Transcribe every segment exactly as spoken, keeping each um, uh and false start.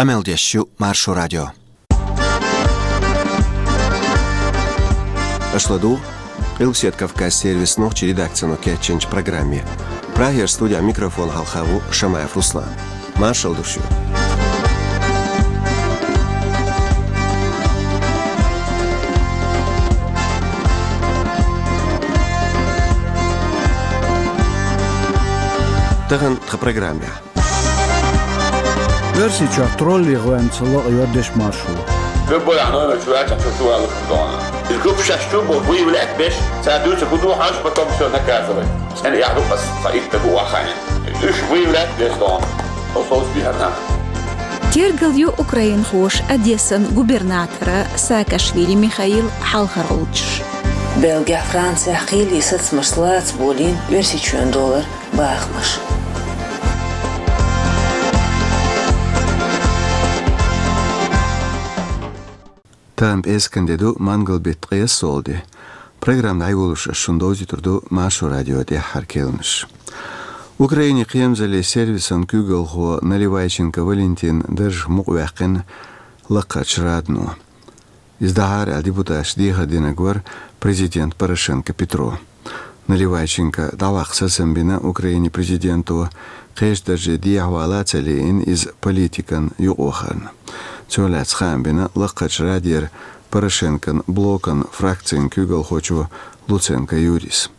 Къамел деш ю Маршо радио. Аша ладугӀу Къилбаседа Кавказ сервисан нохчийн редакцино кечйинчу программе. Прагера студехь микрофон хьалха ву Шамаев Руслан. Маршалла ду шуьга. Тахана тхан программехь. Оьрсийчохь тролле гӀоьнца лакъайо дешмашо. Любой номер чу ваьлча, чу чу валлалц дона. Иза группа шаьш чу бо выявлять беш, цара дуьйцу хӀун ду хьожа, потом всё наказывать. ЦӀена яхь ду аса, сан итт даг ву вахана. Уьш выявлять беш дона. Оцу биарна. Тергал ю украинхоша Одессан губернатора Саакашвили Михаила хьалхара гӀулчаш. Бельгехь, Францехь кхеле сацамаш лаца болийна Оьрсийчоьнан долара бахамаш. Тахана пӀераскан де ду, мангал беттан ткъе исс де. Программа дӀайолош ас шуна довзуьйтур ду Маршо радион тӀаьххьара кхаьънаш. Украинин кхерамзаллин сервисан куьйгалхо Наливайченко Валентин даржах мукъаваьккхина Лакхарчу Радано. Иза дӀахьара аьлла депутаташа дехар динарг вара президент Порошенко Петро. Наливайченко дӀаваккха сацам бина Украинин президенто, кхечу дарже дехьавала а ца лиъна, иза политикан юкъавахарна. Цунах лаьцна хаам бина Лакхарчу Радера Порошенкон блокан фракцин куьйгалхочо Луценко Юрис.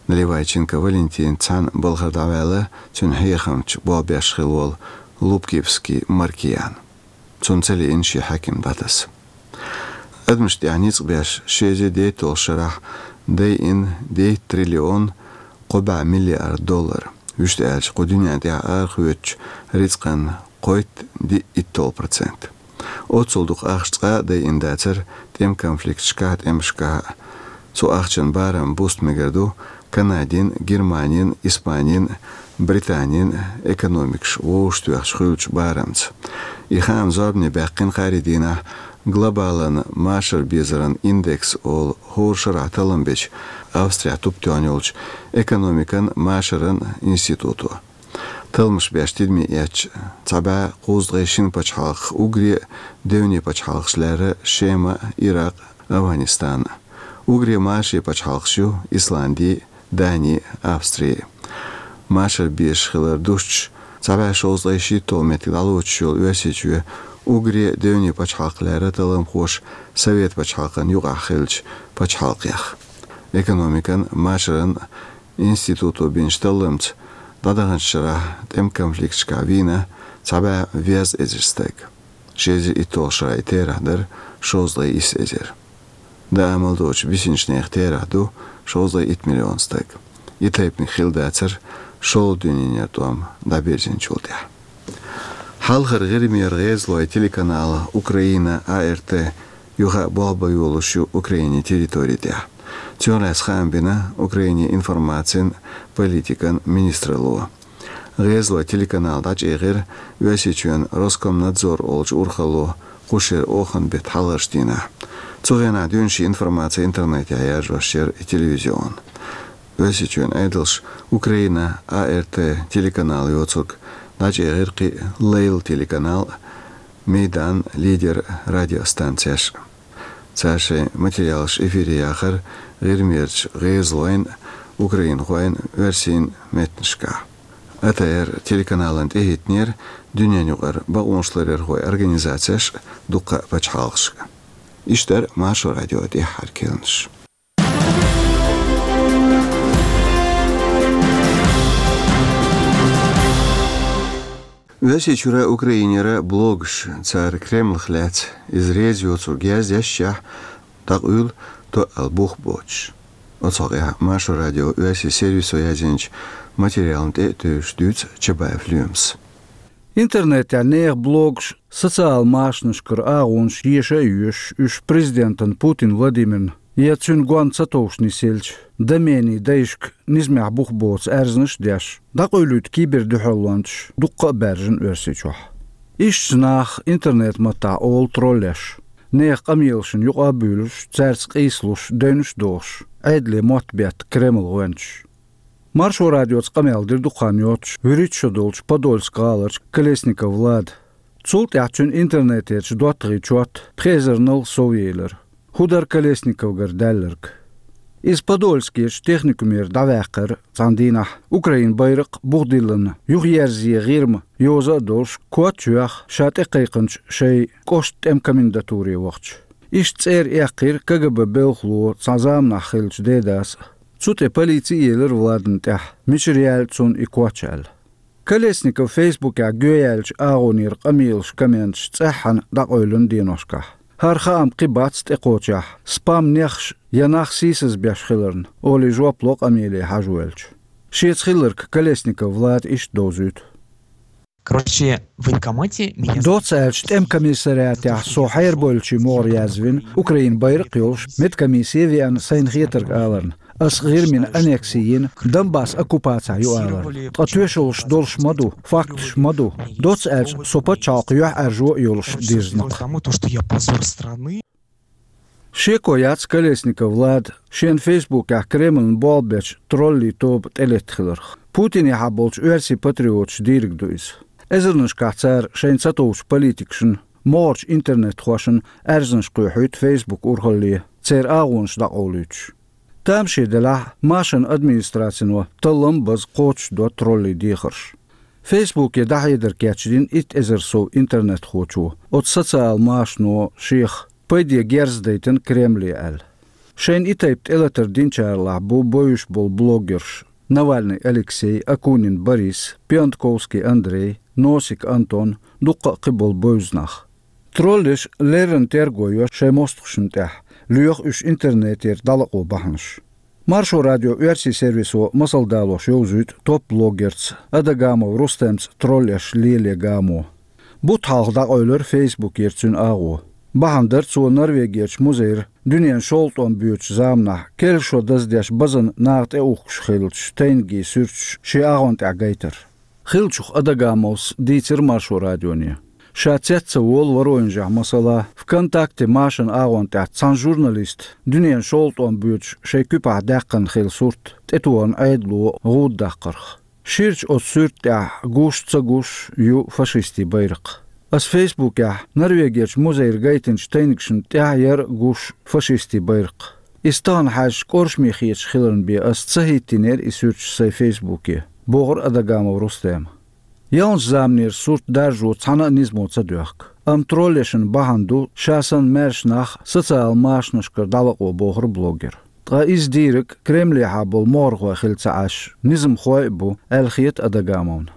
Наливайченко Валентинца цхьаьна балхара дӀаваьлла цуьнан хьехамча болх беш хилла волу Лубкивский Маркиян. Цунна ца лиъна шен хьаькам дӀатаса. Адамашна тӀехь ницкъ беш ши эзар дейтталгӀачу шарахь дайина дейтта триллион кхо бӀе миллиард доллар. Вуьшта аьлча, кху дуьнен тӀехь арахоьцучу рицкъан кхойтта диъ итталгӀа процент. Оццул дукха ахча цкъа а дайина дацара тӀеман конфликташкахь а, тӀемашкахь а. Цу ахчан барам буста мегар ду Канадин, Германин, Испанин, Британин экономикаш вовшахтоьхча хуьлучу барамца. И хаам зорбане баьккхина кхаарин дийнахь глобалан машар безаран индекс олу хӀора шарахь таллам бечу Австрехь тупатоьхна йолчу экономикан машаран институто. Талламаш беш тидаме эцча, цхьа бӀе кхузткъе шина пачхьалкхах уггаре а девне пачхьалкхаш лаьрра Шема, Иракъ, Афганистан. Уггаре машаре пачхьалкхаш ю Исланди, Дани, Австри. Машар безаш хилар дустуш, цхьа бӀе шовзткъе шийтталгӀа меттиг дӀалоцуш йолу Оьрсийчоь уггаре девне пачхьалкх лаьрра талламхоша Совет пачхьалкхан юкъахь хиллачу пачхьалкхех. Экономикан машаран институто бинчу талламца, дӀадаханчу шарахь тӀеман конфликташкахь вийна цхьа бӀе везткъа эзар стаг. Ши эзар итталгӀачу шарахь и терахь дара шовзткъе исс эзар. Даа мел доцучу бисинчу нехан терахь ду шовзткъе итт миллион стаг. И тайпаниг хилла дацара шолгӀа дуьненан тӀом дӀабирзинчул тӀаьхьа. Хьалхара ГӀирмера гӀезалойн телеканал Украина, А Р Т, юха а болх бан йолуш ю Украинин территори тӀехь. Цунах лаьцна хаам бина Украинин информацин, политикан министралло. ГӀезалойн телеканал дӀачӀагӀдира Оьрсийчоьнан Роскомнадзор олучу урхалло кху шеран оханан беттан хьалхарчу дийнахь. Цу хенахь дуьйна шен информаци интернетехь яржош яра и телевизион. Оьрсийчоьнан Ӏедалша Украина, А Р Т телеканал йоцург дӀачӀагӀдира кхин а Лейла телеканал, Майдан, Лидер радиостанцеш. Цара шайн материалаш эфире яхара ГӀирмерчу гӀезалойн, украинхойн, оьрсийн меттанашкахь. А Т Р телеканална тӀехӀиттинера дуьненаюкъара бакъонаш ларъярхойн организацеш а, дуккха а пачхьалкхаш а. Иштта дара Маршо радион тӀаьххьара кхаьънаш. Оьрсийчуьра, Украинера блогаш, цара Кремлах лаьцна иза реза йоцург язъешшехь, дӀакъуьйла тоъал бух боцуш. Оцу хьокъехь Маршо радион оьрсийн сервисо язйинчу материална тӀе а тевжаш дуьйцу Чабаев Лоьмас. Интернетехь нехан блогаш, социал машанашкара агӀонаш еша а йоьшуш, уьш президентана Путин Владимирна я цуьнан гонна ца товш нисъелча, доменийн дайшка низамехь бух боцу аьрзнаш а деш, дӀакъуьйлуьйту кибердуьхьалончаш дуккха а баьржина Оьрсийчохь. Иштта нах интернет-маттахь олу троллеш, нехан къамелашна юкъа а буьйлуш, цаьрца къийсалуш, девнаш а дохуш, Ӏедале мотт бетта Кремлан гӀоьнчаш. Маршо радиоца къамел дира дукха хан йоццуш вуьрхӀитта шо долчу Подольск гӀаларчу Колесников Влада. Цул тӀаьхьа цуьнан интернетерчу доттагӀийн чот пхи эзарнал совъелира. ХӀун дара Колесниковгара даьлларг? Иза Подольскерчу техникумера дӀаваьккхира цхьана дийнахь, Украин байракх а, бух диллина юхаерзае гӀирма йоза а долуш, коччуьйхьа ша тӀекхайкхинчу шайн кӀоштан тӀеман комендатуре вахча. Иштта цӀера эккхира КГБ белхало цхьана заманахь хиллачу Дедас а. Цу тӀе полици а елира Владана тӀехь, мичара яьлла цунна и коч аьлла. Колесников Фейсбукехь гоьяьллачу агӀонера къамелаш, комменташ цӀеххьана дӀакъевлина деношкахь. ХӀара хаам кхин бац тӀекхочехь, спам-нехаш я нах сийсазбеш хиларна, олий жоп ло къамеле хьажа воьлча. Шеца хилларг Колесников Влада иштта довзуьйту. Короче, в военкомате меня... Доцца аьлча, тӀеман комиссариатехь со хьерабевллачийн могӀаре язвина, Украин байракх а йолуш, медкомиссе а веана, сайна хетарг аларна. Ас ГӀирмина аннекси йина, Донбасс оккупацехь ю аларна. Ткъа тоьшаллаш долуш ма ду, факташ ма ду. Доцца аьлча, со пачхьалкх юьхьӀаьржо а йолуш дирзина-кх. Потому то, что я позор страны. Шеко яц Колесников Влада шен Фейсбукехь Кремльна болх бечу троллий тоба тӀелетта хиларх. Путинехьа болчу оьрсийн патриоташа дийриг ду иза. Эзарнашкахь цара шайна ца товчу политикашна, могӀарчу интернет-хошна аьрзнаш кхоьхьуьйту Фейсбук урхалле, церан агӀонаш дӀакъовлуьйтуш. Тамаше делахь а, машанан администрацино таллам а база кхочушдо троллий дехарш. Фейсбуке дӀахьедар кечдина итт эзар сов интернет-хочо, оцу социал-машано шех пайде герз дайтина Кремле аьлла. Шайна и тайпа тӀелатар динчаралахь бу бовзуш болу блогерш: Навальный Алексей, Акунин Борис, Пионтковский Андрей, Носик Антон, дуккха а кхин болу бевза нах. Троллеш леррина терго йо шайн мостагӀашна тӀехь, лоьху уьш интернетера дӀалакъо бахьанаш. Маршо радион оьрсийн сервисо масал далош йовзуьйту топ-блогерца Адагамов Рустемца троллеш лело гамо. Бутт хьалха дӀакъевлира Фейсбукера цуьнан агӀо. Бахьана дара цо Норвегерчу музейра дуьненан шовзткъа тӀом боьдучу заманахь, керла шо даздеш, базана наха тӀеухкуш хиллачу тайнигийн суьрташ шен агӀон тӀехь гайтар. Хиллачух Адагамовс дийцира Маршо радионе. Ша цец ца волу Воронежехь, масала, ВКонтакте машанан агӀон тӀехь цхьана журналиста дуьненан шовзткъа тӀом боьдуш шайн куьпахь даьккхина хилла сурт тӀетохарна Ӏедало гӀуда даккхарх. Ширачу оцу суьрта тӀехь гуш а, ца гуш а ю фашистийн байракх. Ас Фейсбукехь Норвегерчу музейра гайтинчу тайнигашна тӀехь яра гуш фашистийн байракх. Иза тахана хьаьжча кӀоршаме хеташ хиларна бен ас ца хӀиттийнера и суьрташ сайн Фейсбуке, бохура Адагамов Рустема. Ялханчу заманера сурт даржо цхьана а низамо ца доьхку. Амма троллешна бахьана ду ша санна маьрша нах социал-машанашкара дӀалакъо, бохура блогера. Ткъа иза дийриг Кремлехьа болу могӀархой хила ца Ӏаш, низамхой а бу, аьлла хета Адагамовна.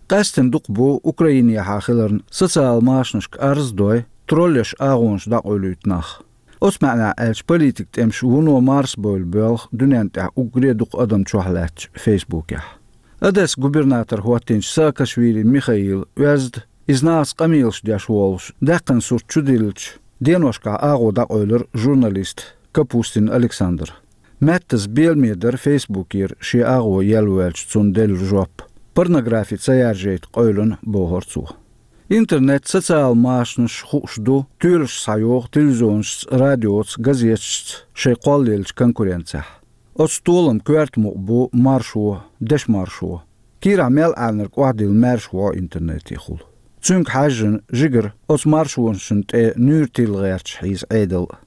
Къаьсттина дукха бу Украинехьа хиларна социал-машанашка арз а дой, троллеш агӀонаш дӀакъовлуьйту нах. Оцу маьӀнехь аьлча, политикан тӀемаш вуно марсабевлла боьлху дуьнен тӀехь уггаре а дукха адам чохь лаьттачу Фейсбукехь. Одессан губернатор хӀоттийначу Саакашвили Михаила оьзда, иза нахаца къамелаш деш волуш, даьккхина сурт чудиллича, деношкахь агӀо дӀакъевлира журналиста Капустин Александра. Меттаза беламе дара Фейсбукера шен агӀо елла воьлча цунна делла жоп. Порнографи ца яржайта къевлина, бохура цо. Интернет, социал-машанаш хууш ду, тоьлаш схьайогӀу телевизионашца, радиоца, газеташца шайн кхоллаеллачу конкуренцехь. Оцу толаман коьрта мукъа бу маршо, дешан маршо. Кийрахь мел Ӏаьрнарг охьадилла маьрша ву интернетехула. Цуьнга хьаьжжина, жигара оцу маршонашна тӀе нуьйр тилла гӀерташ хьийза Ӏедал а.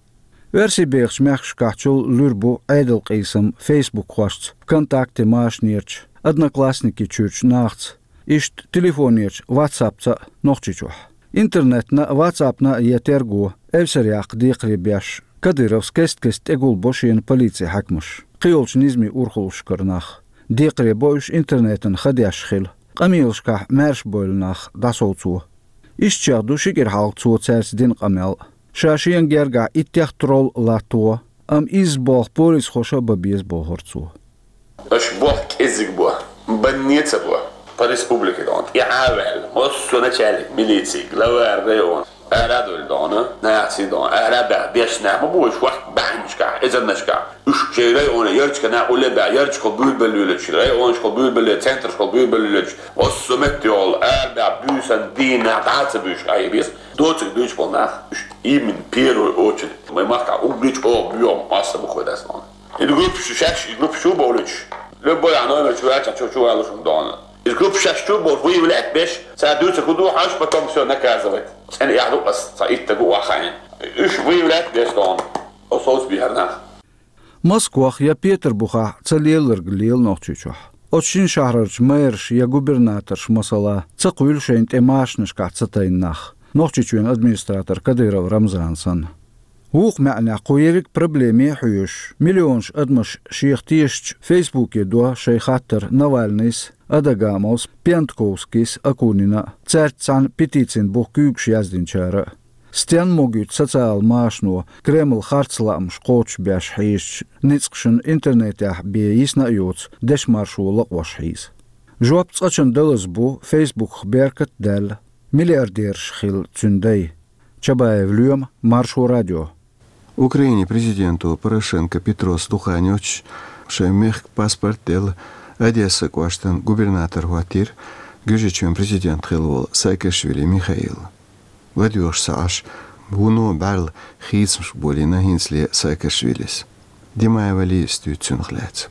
Оьрсийбехачу мехкашкахьчул луьра бу Ӏедалан къийсам фейсбукхошца, ВКонтакте машанерчу, Одноклассники чуьрчу нахаца, иштта телефонерчу, ватсапца а Нохчийчохь. Интернетна а, ватсапна а я терго, эвсаръяккха декхаре беш, Кадыровс кест-кеста тӀегулбо шена полицин хьаькамаш, кхийолчу низамийн урхаллашкара нах. Декхаре бо уьш интернетан ха деш хила, къамелашкахь маьршабевлла нах дӀасовцо. Иштта чех ду ши кӀира хьалха цо цаьрца дина къамел. Ша шена гергахь иттех тролл латтаво, амма изза болх полисхоша а бан беза, бохура цо. Аша болх кӀеззиг бо, банне а ца бо. По республике дона, тӀе а ваьлла, массо а начальник милиции, главарь района, ара а довлу дона, нахаца дона, ара а баьхна, дешна нах ма бу уьш, вахт баьхначкахь, эзарнашкахь. Уьш шайн районе ярташкахь нах улле а баьхна, ярташкахула буьйлабелла лелачу, районашкахула буьйлабелла, центрашкахула буьйлабелла лелачу, массо а метте йолу, ара а баьхна, буьйсан дийна нах дӀа а ца буьйш, къахьийбес. Доцург дуьйцуш болу нах, уьш именно первую очередь вайн махкахь уггаре чӀогӀа боьха масса бу кхой дас дона. И группаш, шаьш и группаш чу а бовлуьйтуш, любой а номер чу ваьлча, чу, чу валуш хӀума дона. Из группа шаьш чу болуш выявлять беш, цара дуьйцург хӀун ду хьожуш, потом всё наказывать. ЦӀена эхь ду ас, цхьа итт стаг ву охьа хаийна. Уьш выявлять беш дохуна, оцу совцабехьарнах. Москвахь я Петарбухахь ца лелларг лела Нохчийчохь. Оцу шина шахьарарчу мэраш я губернаторш, масала, ца кхуьйлу шайна тӀе машинашкахь ца тайна нах. Нохчийчоьнан администратор Кадыров Рамзан санна. Вукху маьӀнехь кху ерриг проблеме а хьоьжуш, миллионаш адамаш шех тешачу Фейсбуке до шайн хаттар Навальныйс, Адагамовс, Пиантковскийс, Акунина а, цаьрца цхьаьна петицин бух куьйгаш яздинчара а. Стенна могуьйту социал машано Кремль харц лаамаш кхочушбеш хьийзачу ницкъашна интернетехь бен йисна а йоцу дешмаршо лакъош хьийза? Жоп цкъачунна далаза бу Фейсбуках беркат а даьлла, миллиардераш хилла цуьнан дай. Чабаев Лоьма, Маршо радио. Украинин президенто Порошенко Петрос дукха хан йоццуш шайн мехкан паспорт делла Одессан кӀоштан губернатор хӀоттийра Гуьржийчоьнан президент хилла волу Саакашвили Михаил. ЛадоьгӀуш ца Ӏаш, вуно бӀаьрла хийцамаш болийна хӀинцале Саакашвилис. Димаева Лизас дуьйцу цунах лаьцна.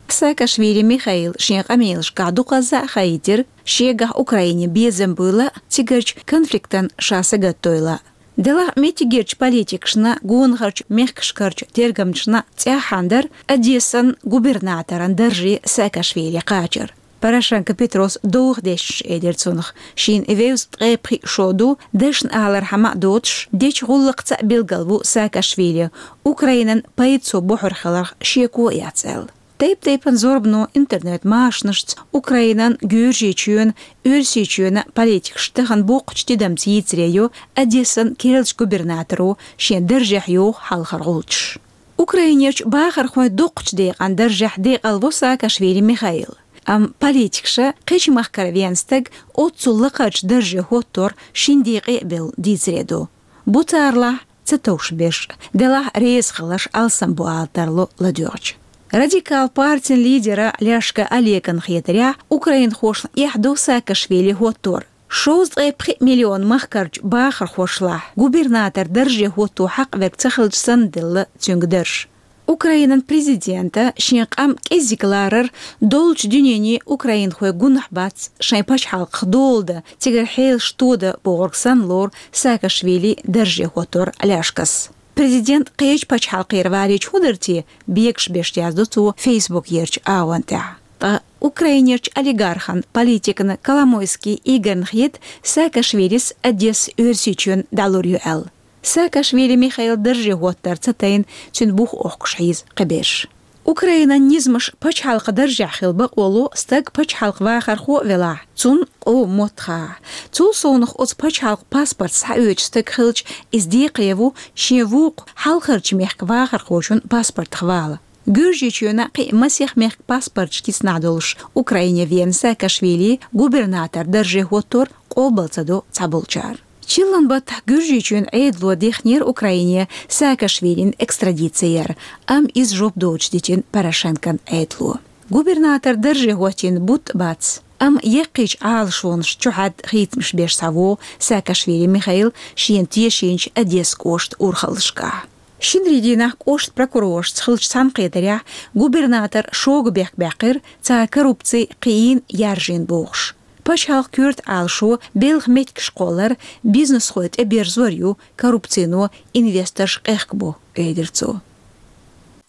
Саакашвили Михаила шен къамелашкахь дукхазза а хаийтира, шегахь Украине безам буйла а, цигарчу конфликтан ша сагатдойла а. Делахь меттигерчу политикашна, гонахарчу мехкашкарчу тергамчашна цӀеххьана дара Одессан губернаторан дарже Саакашвили кхачар. Порошенко Петрос довха дешнаш элира цунах. Шена вевза ткъе пхиъ шо ду, дашна алархьама а доцуш, дечу гӀуллакхца а билгал ву Саакашвили, Украинан пайда цо бохур хиларх шеко а яц аьлла. Тайп-тайпана зорбано интернет-машанашца Украинан, Гуьржийчоьнан, Оьрсийчоьнан политикаш тахана боккхачу тидамца йийцаре йо Одессан керлачу губернаторо шен даржехь йоху хьалхара гӀулчаш. Украинерчу бахархойн дукхачу декъан даржехь декъалво Саакашвили Михаил. Амма политикаша кхечу махкара вен стаг оццул лакхарчу дарже хӀоттор шина декъе а бевлла дийцаре ду. Бу царалахь ца товш берш, делахь реза хиларш алсам бу ала тарло ладоьгӀча. Радикал партин лидера Ляшка Олеган хетарехь, украинхошна эхь ду Саакашвили хӀоттор. Шовзткъе пхиъ миллион махкарчу бахархошлахь губернатор дарже хӀотто хьакъ верг ца хилча санна делла цуьнга дарж. Украинан президента шен къам кӀеззиг ларар доллучу дуьнене украинхой гунахь бац, шайн пачхьалкхах дола дан, цигара хьелаш тодан бохург санна лору Саакашвили дарже хӀоттор Ляшкас. Президент кхечу пачхьалкхера валийча хӀун дара те, бегаш беш яздо цо Фейсбукерчу агӀон тӀехь. Ткъа Украинерчу олигархан, политикана Коломойский Игорьна хета Саакашвилис Одесса Оьрсийчоьнна дӀалур ю аьлла. Саакашвили Михаил дарже хӀоттар ца тайна цуьнан бух охкуш хьийза кхиберш. Украинан низамаш пачхьалкхан даржехь хила бакъо ло стаг пачхьалкхан вахархо а велахь, цунна къоман мотт хахь. Цул совнаха оцу пачхьалкхан паспорт схьаоьцуш стаг хилча, иза декхаре ву шен вукху хьалхарчу мехкан вахархочун паспортах вала. Гуьржийчоьнан кхин а масех мехкан паспорташ кицнахь долуш Украине веана Саакашвили губернатор дарже хӀоттор къобал ца до цхьаболчара. Чиллан баттахь Гуьржийчоьнан Ӏедало дихнера Украине Саакашвилин экстрадици яр, амма иза жоп доцуш дитина Порошенкон Ӏедало. Губернатор дарже хӀоттийна бутт а бац, амма яккхийчу Ӏалашонаш чухьаьдда хийцамаш беш схьавогӀу Саакашвили Михаил шена тешийначу Одесса кӀоштан урхаллашкахь. Шинарин дийнахь кӀоштан прокуроршца хиллачу цхьаьнакхетарехь губернатор шога бехк баьккхира, цара коррупци кхиийна, яржийна бохуш. Пачхьалкхан коьрта Ӏалашо белхан меттигаш кхоллар, бизнесхой тӀеберзор ю, коррупцино инвесторш къехкабо, элира цо.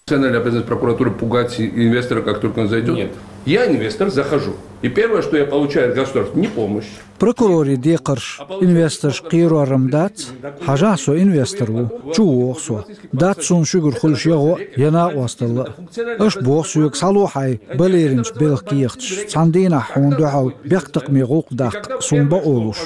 Национальная обязанность прокуратуры пугать инвестора, как только он зайдёт? Нет. Я инвестор, захожу. И первое, что я получаю от государства, не помощь. Прокуроран декхарш инвесторш кхерор-м дац, хьажахь, со инвестор ву, чу вогӀу со. Дац суна шуьгара хуьлуш я гӀо, я накъосталла а. Аша боху соьга, схьало хьайн балеринчу белхан кехаташ, цхьана дийнахь хьуна дуьхьал бехктакхаме гӀуллакх даккха суна бакъо луш.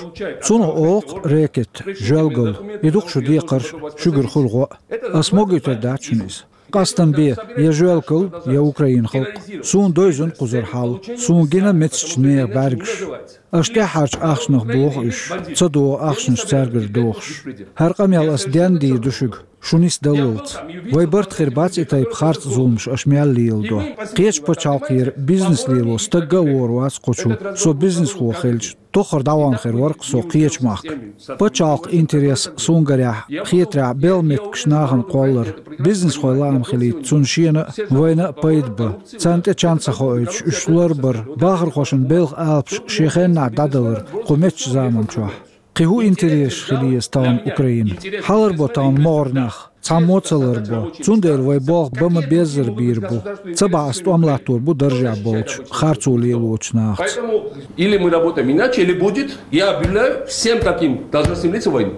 Цунах олу-кх рэкет, жоьлгалла, и ду-кх шун декхарш, шуьгара хуьлу гӀо а. Ас могуьйтур дац шуна иза. Къастам бе, я жоьлгалла, я Украинан халкъ. Суна девзина кхузара хьал, суна гина мецачу нехан бӀаьргаш. Аша тӀаьххьарчу ахчанах боху уьш, ца догӀу ахчанаш цаьргара дохуш. ХӀара къамел ас денна дийр ду шуьга. Шуница даллалц. Вай барт хир бац и тайпа харц зуламаш аша мел леладо. Кхечу пачхьалкхера бизнес лело стагга а вора вац кху чу, со бизнесхо хилча, тоххар дӀаван хир вара-кх со кхечу махка. Пачхьалкх интерес сунгарехь, хетарехь белхан меттигаш нахана кхоллар, бизнесхой лаам хилийта цунна шена а, вайна а пайда ба. Царна тӀе чан ца хоуьйтуш, уьш ларбар, бахархошна белхан алапаш шен хеннахь дӀадалар кху меттачу заманчохь. Кхин хӀун интересаш хила еза тахана Украина? Хьалар бо тахана могӀарнах, цхьаммо а ца ларбо. Цундела вай болх бан ма-беззара бийр бу. Ца бахь ас тӀом латтор бу даржехь болчу, харцо лелочу нахаца. Поэтому или мы работаем иначе, или будет, я объявляю всем таким должностным лицам войну.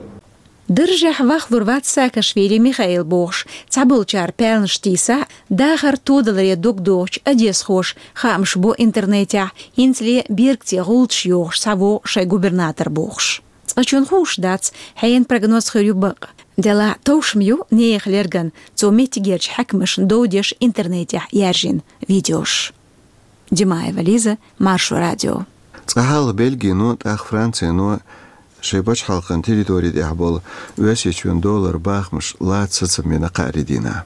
Даржехь вахлур вац Саакашвили Михаил бохуш, цхьаболчара паьлнаш тийсахь а, дахар тодаларе дог дохучу одесхоша хаамаш бо интернетехь, хӀинцале бергце гӀулчаш йохуш схьавогӀу шайн губернатор бохуш. Цкъачунна хууш дац, хьенан прогноз хир ю бакъ. Делахь товш ма ю нехан лерган цо меттигерчу хьаькамашна дов деш интернетехь яьржина видеош. Димаева Лиза, Маршо радио. Цкъа хьалха Бельгино, тӀаккха Францино шайн пачхьалкхан территори тӀехь болу Оьрсийчоьнан доллар бахамаш лаца сацам бина кхаарин дийнахь.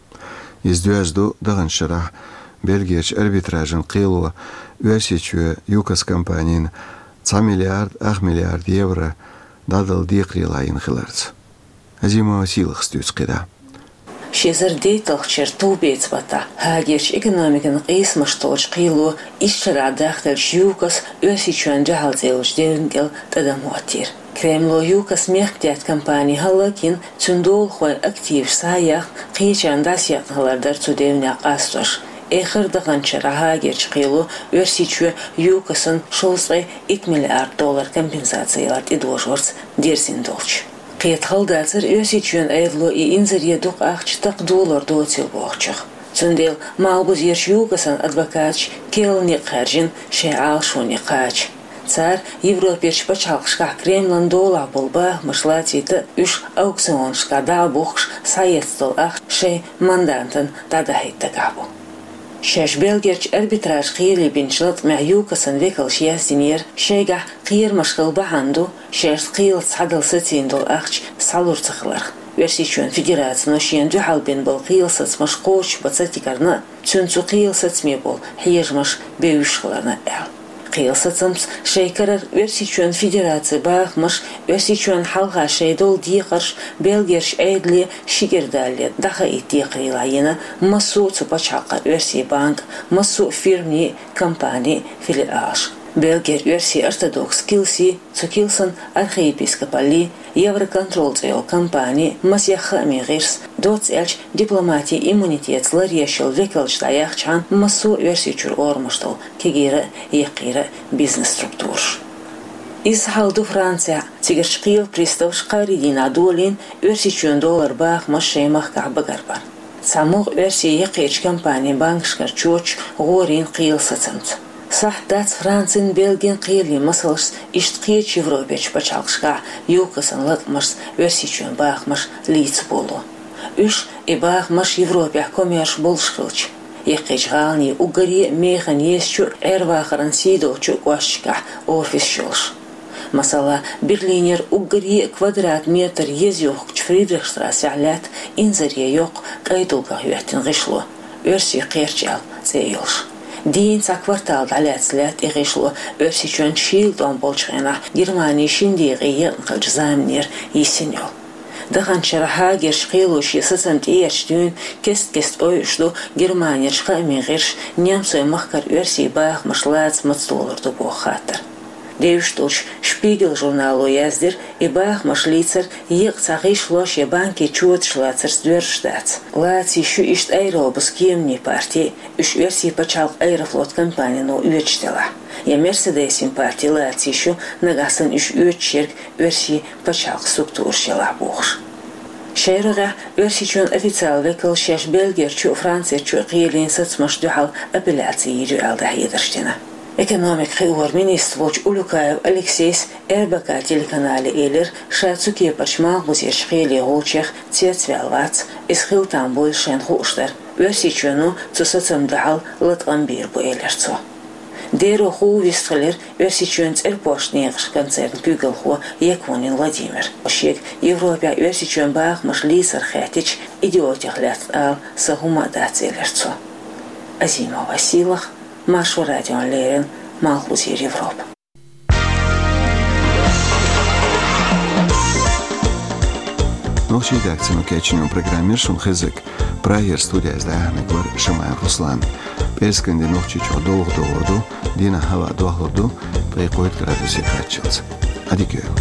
Иза доьзна ду даханчу шарахь Бельгерчу арбитражан кхело Оьрсийчоь ЮКОС компанина цхьа миллиард ах миллиард евро дӀадала декхарийлахь йина хиларца. Азимова Сийлахьас дуьйцу кхидӀа. Ши эзар дейтталгӀачу шеран товбеца баттахь Гаагерчу экономикан къийсамаш толлучу кхело исс шарахь дахделлачу ЮКОС Оьрсийчоьнна дуьхьал цӀе йолчу девнан кӀел тӀадам хӀоттийра. Кремло ЮКОС мехкдаьтта компани хӀаллакйина, цуьнан долахойн активаш схьа а яьхна, кхечарна дӀасаекъна хилар дара цу девнех къастош. Эххар а даханчу шарахь Гаагерчу кхело Оьрсийчоь ЮКОС-на шовзткъе итт миллиард доллар компенсаци ялар тӀедожорца дерзийна долчу. Кхета хала дацара Оьрсийчоьнан Ӏедало и инзаре дукха ахча такха долор доцийла бохучух. Цундела Малхбузерчу ЮКОС-ан адвокаташа керла некъ хаьржина шайн Ӏалашоне кхача. Цара Европерчу пачхьалкхашкахь Кремлан долахь болу бахамаш лацийта а, уьш аукционашкахь дӀа а бухкуш, схьаэцна долу ахча шайн мандантана дӀадахьийта дагахь бу. Шаьш Бельгерчу арбитраж кхеле бинчу латкъамехь ЮКОС-ан векалша яздинера, шайгахь кхерамаш хила бахьана ду шаьш кхелаца схьадала сацийна долу ахча схьалур ца хиларх. Оьрсийчоьнан Федерацино шена дуьхьал бина болу кхелан сацамаш кхочушбан ца тигарна а, цуьнан цу кхелан сацаме болу хьежамаш бевзаш хиларна а аьлла. Кхелан сацамца шайн карара Оьрсийчоьнан Федерацин бахамаш, Оьрсийчоьнна хьалха шайн долу декхарш Бельгерчу Ӏедале ши кӀира далале дӀахаийта декхарийлахь йина массо а цу пачхьалкхан оьрсийн банк, массо а фирмийн, компанийн филиалаш. Бельгера оьрсийн ортодокс килси, цу килсан архиепископалли, Евроконтрол цӀе йолу компани, масех хаамийн гӀирс, доцца аьлча дипломатин иммунитетаца ларъеш йолу векалш дӀаяхчахьана массо а Оьрсийчуьра орамаш долу кегийра а, яккхийра а бизнес-структураш. Изза хьал ду Францехь, цигарчу кхелан приставаша кхаарин дийнахь долийна Оьрсийчоьнан доллар бахамаш шайн махкахь багарбар. Цхьа могӀа оьрсийн яккхийчу компанийн банкашкара чоьташ гӀорийна кхелан сацамца. Сахьт дац Францин, Бельгин кхелийн масалшца иштта кхечу Европерчу пачхьалкхашкахь ЮКОС-ан латкъамашца Оьрсийчоьнан бахамаш лийца болу. Уьш, и бахамаш, Европехь коммерш болуш хилча, яккхийчу гӀаланийн уггаре а механа езачу а, Ӏер-вахаран сий долчу а кӀошташкахь офисаш йолуш. Масала, Берлинера уггаре а квадрат метр еза йохкучу Фридрихштрассехь лаьтта инзаре йоккха кӀайн дулгах хӀоьттина гӀишло, «Оьрсийн кхерч» аьлла цӀе йолуш. Дийна цхьа квартал дӀалаьцна лаьтта и гӀишло, Оьрсийчоьнна шийла тӀом болчу хенахь Германи шина декъе екъна хиллачу заманера йисина йолу. Даханчу шарахь Гаагерчу кхело шен сацам тӀеэцначу дуьйна кест-кеста ойуш ду Германерчу хаамийн гӀирсаша немцойн махкара оьрсийн бахамаш лаца маца долур ду боху хаттар. Девзаш долчу «Шпигель» журнало яздира, и бахамаш лийцар еккъа цхьа гӀишло шен банкийн чоташ лацарца доьрзуш дац. Лаца йиш ю иштта аэробус кеманийн парти, уьш оьрсийн пачхьалкхан аэрофлот компанино оьцуш делахь. Я «Мерседесийн» парти лаца йиш ю, нагахь санна уьш оьцуш ерг оьрсийн пачхьалкхан структураш елахь бохуш. Шайн рогӀехь Оьрсийчоьнан официалан векалш шаьш Бельгерчу а, Францерчу а кхелийн сацамашна дуьхьал апелляци йийр ю аьлла дӀахьедарш дина. Экономикан хиоран министр волчу Улюкаев Алексейс эр бэ ка телеканале элира, ша цу кепарчу Малхбузерчу кхелийн гӀулчех цецваьлла вац, иза хила там буйла шайна хууш дара. Оьрсийчоьно цу сацамна дуьхьал латкъам бийр бу, элира цо. Дера хӀу вистхилира Оьрсийчоьнан цӀерпошт некъаш концерна куьйгалхо Якунин Владимир. Шега Европехь Оьрсийчоьнан бахамаш лийцар хаьттича, идиотех лаьцна ала сан хӀума а дац, элира цо. Азимова Силах, Маршо радиона леррина, Малхбузера Европа. Нохчийн редакцино кечйина программа яра шуна хезнарг. Прагера студехь дӀаяьхьнарг вара Шамаев Руслан. ПӀераскан де Нохчийчохь довха догӀур ду, дийнахь хӀаваъ дохлур ду, ткъе кхойтта градусе кхаччалц. Ӏадика йойла.